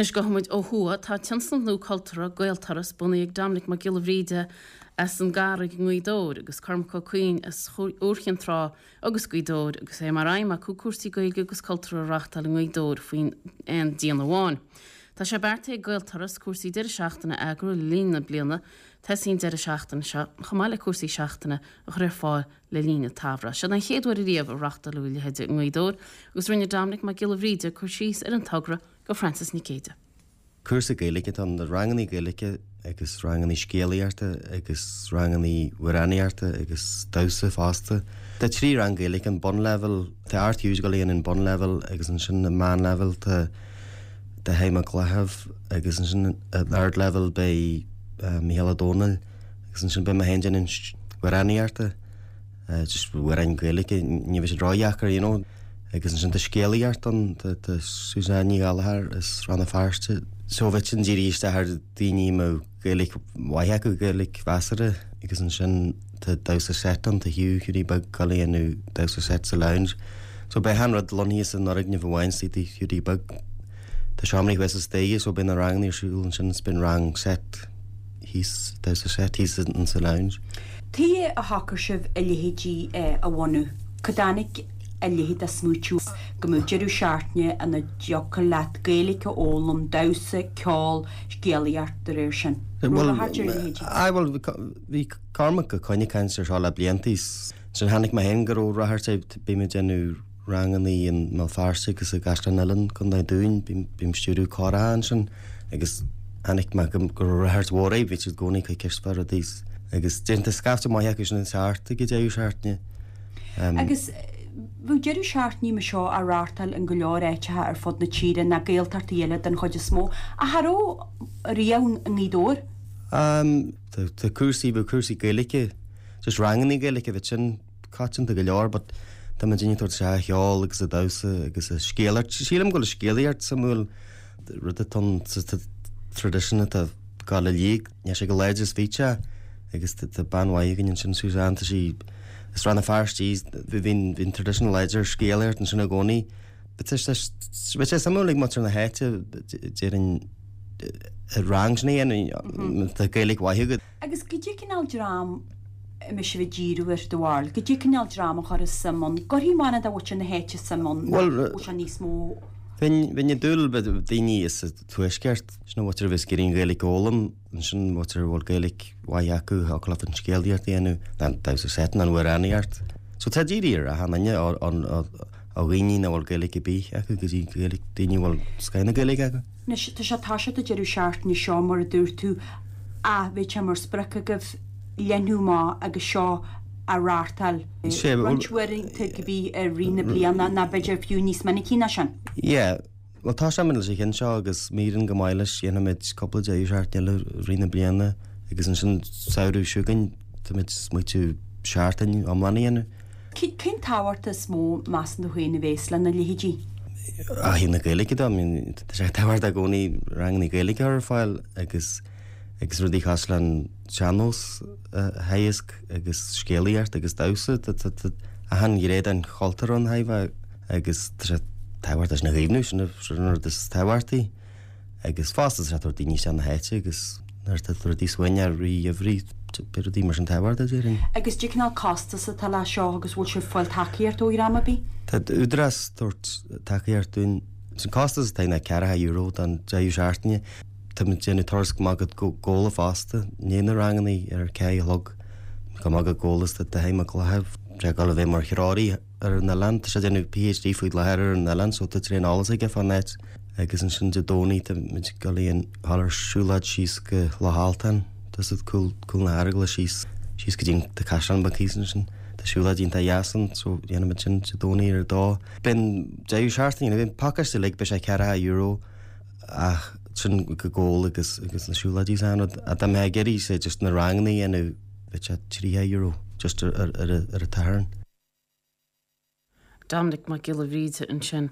Anois gabhfaidh muid ó thuaidh. Tá tionscnamh nua cultúrtha, Gaelturas, bunaithe ag Dominic Mac Giolla Bhríde as an gCarraig i nGaoth Dobhair agus Cormac Ó Cuinn as Iúr Chinn Trá agus Gaoth Dobhair agus é mar aidhm acu cúrsaí Gaeilge agus cultúrtha a reáchtáil i nGaoth Dobhair faoin aon díon amháin. Tá sé beartaithe ag Gaelturas cúrsaí deireadh seachtaine a eagrú le linn na bliana tosaí an deireadh seachtaine seo chomh maith le cúrsaí seachtaine a chur ar fáil le linn an tsamhraidh. Seo an chéad uair ariamh a reáchtáladh a leithéid i nGaoth Dobhair agus rinne Dominic Mac Giolla Bhríde cur síos ar an togra go Frances Nic Géadaigh. Cúrsa Gaeilge atá ann, rangannaí Gaeilge agus rangannaí scéalaíochta agus rangannaí amhránaíochta agus damhsa fosta. Tá 3 rang Gaeilge, an bunleibhéal, tá Art Hughes ag dul a dhéanamh an bunleibhéal agus ansin an meánleibhéal tá Dáithí Mac Gallchóir agus ansin an ardleibhéal beidh Mícheál Ó Domhnaill agus ansin beidh mé féin déanamh amhránaíochta, just amhráin Gaeilge, ní bheidh siad ródheacair, you know. Agus ansin tá scéalaíocht ann, tá tá Suzanne Ní Ghallchóir as Rann na Feirste. So bheadh sin dírithe isteach ar daoine a mbeadh Gaeilge mhaith acu, Gaeilge mheasartha. Agus ansin tá damhsa seit ann, tá Hugh, Hughie Beag ag dul a dhéanamh damhsa seit sa lounge. So beidh achan rud lonnaithe san fhoirgneamh amháin sa tigh Hughie Beag. Tá seomraí thuas sa staighre so beidh na ranganna ar siúl ansin is beidh an rang seit thíos, damhsa seit thíos in sa lounge. Tuige a shocair sibh a leithéidí a bhunú? Cá dtáinig a leithéid de smaoitiú go mbeadh deireadh seachtaine ina dtiocfadh leat Gaeilge a fhoghlaim, damhsa, ceol, scéalaíocht de réir sin? Raibh ráchairt ar a leithéidí? Aye bhuel bhí Cormac Ó Coinn ag caint ar seo le blianta. Ansin chonaic mé féin go raibh ráchairt air, bím ag déanamh rangannaí i mBéal Feirste agus i gCaisleán Uidhilín, Contae an Dúin. Bím ag stiúradh córacha ansin agus chonaic mé go raibh ráchairt mhór air, bhí siad i gcónaí ag cur ceist fá rudaí agus déanta scaifte maith acu sin ag teacht ag an deireadh seachtaine. Agus bheadh deireadh seachtaine mar seo á reáchtáil in go leor áiteacha ar fud na tíre, na Gaeltachtaí eile den chuid is mó. Ach cha raibh riamh i nGaoth Dobhair? Tá cúrsaí, bheadh cúrsaí Gaeilge, just rangannaí Gaeilge, bheadh sin coitianta go leor but tá muid ag tabhairt isteach an cheol agus an damhsa agus an scéalaíocht. Sílim go bhfuil an scéalaíocht suimiúil, rud atá ann sa tradition atá ag dul i léig, níl sé chomh láidir is bhí sé agus tá bean mhaith againn ansin, Suzanne, tá sí as Rann na Feirste í, bhí an tradition láidir scéalaíocht ansin i gcónaí. Bheadh sé suimiúil ag muintir na háite déarfainn rang sin a dhéanamh, tá Gaeilge mhaith agat. Agus goidé cineál dream a mbeidh sibh ag díriú air, do bharúil? Goidé cineál dream a chuirfeas suim ann? Gcuirfidh mórán de mhuintir na háite suim ann nó bhfuil sé níos mó? Bheinn, bheinn ag dúil le daoine as an tuaisceart, sin an mhuintir a bheas ag iarraidh an Ghaeilge a fhoghlaim, ansin an mhuintir a bhfuil Gaeilge mhaith acu, thiocfadh leofa an scéalaíocht a dhéanamh, nó an damhsa seit nó an amhránaíocht. So tá dírithe ar achan duine, ó dhaoine nach bhfuil Gaeilge ar bith acu go dtí Gaeilge, daoine a bhfuil scoth na Gaeilge acu. Anois, tá sé ag toiseacht an deireadh seachtaine seo, mar a dúirt tú, ach bheadh sé mar sprioc agaibh leathnú amach agus seo a reáchtáil roinnt uaireanta cibé i rith na bliana, nó b'fhéidir fiú níos minicí ná sin. Yeah. Bhuel, tosóimid leis an cheann seo agus má éiríonn go maith leis, dhéanfaimid cúpla deireadh seachtaine eile i rith na bliana agus ansin samhradh seo chugainn, táimid ag smaoitiú seachtain iomlán a dhéanamh. Cén tábhacht is mó, measann tú féin, a bhéas lena leithéidí? Ó thaobh na Gaeilge de, I mean, tá sé tábhachtach i gcónaí ranganna Gaeilge a chur ar fáil agus agus rudaí cosúil le an sean-nós a theagasc agus scéalaíocht agus damhsa. Tá tá tá achan ghné den chultúr ann thaobh agus tá sé tábhachtach sin a chaomhnú, sin an rud is tábhachtaí. Agus fosta tá sé ag tabhairt daoine isteach na háite agus nuair atá rudaí suaimhneach i rith an gheimhridh, beidh rudaí mar sin tábhachtach, déarfainn. Agus cén cineál costas atá leis seo agus bhfuil sibh ag fáil tacaíocht ó dhream ar bith? Tá Údarás ag tabhairt tacaíocht dúinn. Is an costas atá ná €40 don deireadh seachtaine. Tá muid ag déanamh turas go Maigh Gabhla fosta, i ndiaidh na ranganna ar a 4 a chlog. Go Maigh Gabhla is tá Dáithí Mac Gallchóir ag dul a bheith mar threoraí ar an oileán. Tá sé ag déanamh PhD faoi láthair ar an oileán so tá tréan eolas aige fán áit. Agus ansin Dé Domhnaigh tá muid ag dul a dhul ar siúlóid síos go Loch Altáin. Tá siad cúl cúl na hEaragla síos síos go dtí an tá caisleán beag thíos ansin. Tá siúlóid iontach dheas ann so dhéanfaidh muid sin Dé Domhnaigh ar a dó. Beidh an deireadh seachtaine, beidh an pacáiste uilig beidh sé €40 ach sin go Gabhla agus agus na siúlóidí is achan rud. Ach dá mbeifeá ag iarraidh say just na ranganna a dhéanamh beidh sé €30 just ar ar ar an tSatharn. Dominic Mac Giolla Bhríde ansin.